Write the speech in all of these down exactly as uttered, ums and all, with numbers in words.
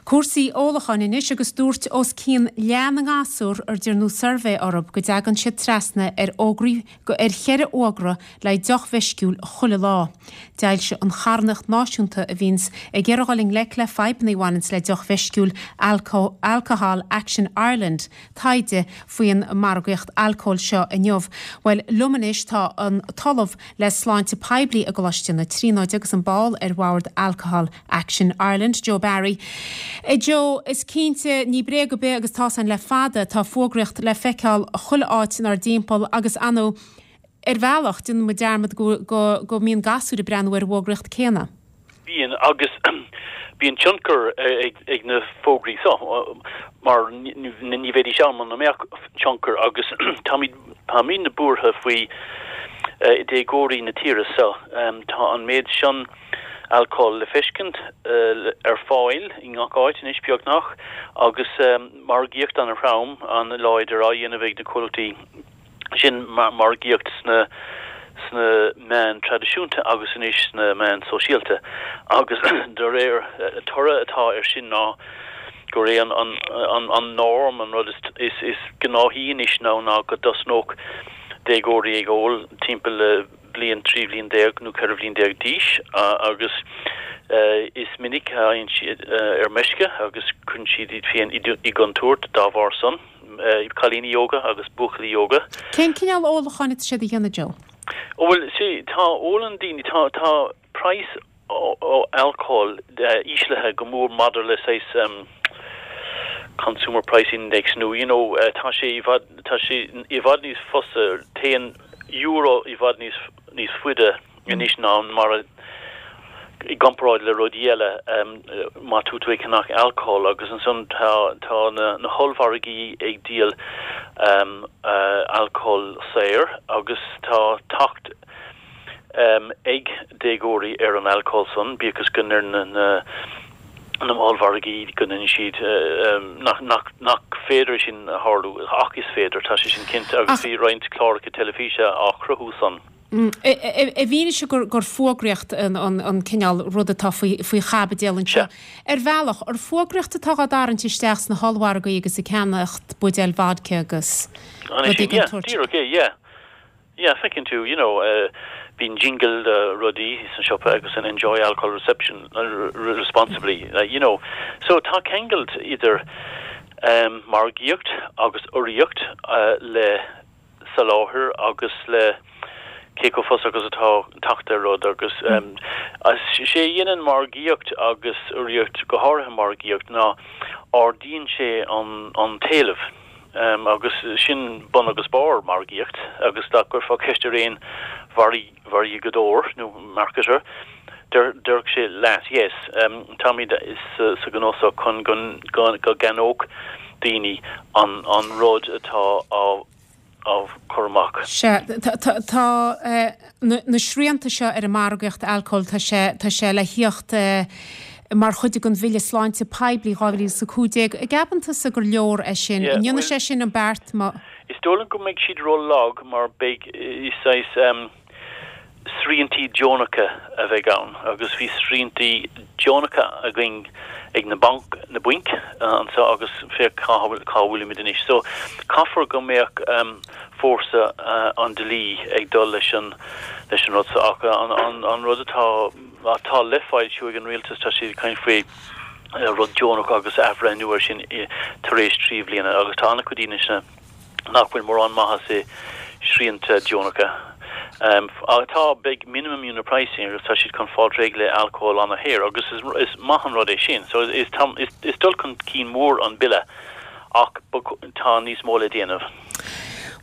Cúrsaí ólacháin anois agus dúirt os cionn leath na ngasúr ar dearnadh suirbhé orthu go dtagann siad trasna ar fhógraí ar cheithre fhógra le deoch mheisciúil chuile lá. D'fhoilsigh an charthanacht náisiúnta a bhíonns ag iarraidh dul i ngleic le fadhbanna a bhaineanns le deoch mheisciúil Alcohol Action Ireland taighde faoin margaíocht alcóil seo inniu. Bhuel liom anois tá an tOllamh le Sláinte Poiblí i gColáiste na Tríonóide agus an ball ar bhord Alcohol Action Ireland, Joe Barry. Joe is cinnte ní bréag ar bith agus tá san le fada tá fógraíocht le feiceáil chuile áit inár dtimpeall agus anu ar bhealach déanann muid dearmad go, go, go mbíonn gasúir ag breathnú ar an bhfógraíocht céanna. Bíonn agus bíonn tionchar ag, ag na fógraí so mar ní bheidís ann mura mbeadh tionchar agus táimid buartha faoi uh, déagóirí na tíre so um, tá an méid sin alcohol le feiscint uh, ar fáil i ngach áit anois beagnach agus um, margaíocht an-throm an-láidir á dhéanamh ag na comhlachtaí sin mar margaíocht sna sna meáin traidisiúnta agus anois sna meáin sóisialta agus de réir uh, toradh atá ar sin ná gur é an an an, an norm an rud is is, is gnáthaí anois ná ná go dtosnódh déagóirí ag ól timpeall le bliain trí bhliain déag nó ceithre bhliain déag d'aois agus uh, is minic a théann siad uh, ar meisce agus cuireann siad iad féin i gcontúirt dá bharr san uh, cailíní óga agus buachaillí óga. Cén cineál ólacháin atá siad a dhéanamh Joe? Ó bhuel sí tá ólann daoine tá tá praghas alcohol uh, íslithe go mór maidir le saghas um, consumer price index nó you know uh, tá sé i bhfad tá sé i bhfad níos fusa téann euro i bhfad níos níos faide anois ná mar i gcomparáid le rudaí eile um, má tú tú ag ceannach alcohol agus ansan tá tá na, na hollmhargaí ag díol um, uh, alcohol saor agus tá teacht um, ag déagóirí ar an alcohol san bíodh is go ar na, na na ollmhargaí go ndéanann siad um, nach, nach, nach féidir sin a tharlú ach is féidir tá sé sin cinnte agus bhí roinnt cláracha teilifíse á chruthú san. Mm, I bhfianaise gur gur fógraíocht an, an, an cineál rud atá faoi faoi chaibidil anseo. Ar bhealach ar fógraíocht atá á dtarraingt isteach sna hollmhargaí agus ag ceannacht buidéal vodka agus Díreach é, yeah. Yeah, feiceann tú, you know, uh, bíonn jingle uh, rudaí san siopa agus an enjoy alcohol reception uh, responsibly, uh, you know. So tá ceangal idir um, margaíocht agus urraíocht uh, le soláthar agus le cé chomh fusa agus atá teacht ar rud agus um, sé dhéanann margaíocht agus urraíocht go háirithe margaíocht ná ardaíonn sé an, an t-éileamh. Um, agus sin bun agus barr margaíocht agus dá gcuirfeá ceist ar aon mhargadóir nó marketer déarfadh sé leat yes um, táimid is uh, sa ghnó seo chun go go gceannódh daoine an an rud atá á á chur amach. Sé tá eh, na srianta seo ar an margaíocht alcóil tá sé tá sé le theacht eh, mar chuid den bhille sláinte poiblí dhá mhíle is a cúig déag. An gceapann tusa gur leor é sin ndéanann sé sin an beart má. Is dóigh liom go mbeidh siad ró-lag mar beidh is um, sriantaí deonacha a bheidh ann agus bhí sriantaí deonacha againn ag na banc na bainc uh, anseo agus féach cá bhfuilimid anois. So caithfear go mbeadh um, fórsa uh, an dlí ag dul leis an leis an rud ach an, an, an rud atá atá le foilsiú ag an rialtas tá siad caint faoi uh, rud deonach agus athbhreithniú air sin tar éis trí bliana agus tá an-chuid daoine nach bhfuil mórán maitheas i srianta deonacha. Um, tá beidh minimum unit pricing agus tá siad chun fáil réidh le alcohol an-shaor agus is, is maith an rud é sin, so is, is, is, is dul chun cinn mór an bille ach tá níos mó le déanamh.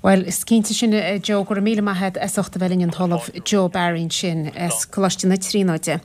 Well, is cinnte sin eh, Joe go raibh míle maith as ucht a bheith linn an tOllamh Joe Barry sin as Coláiste na Tríonóide.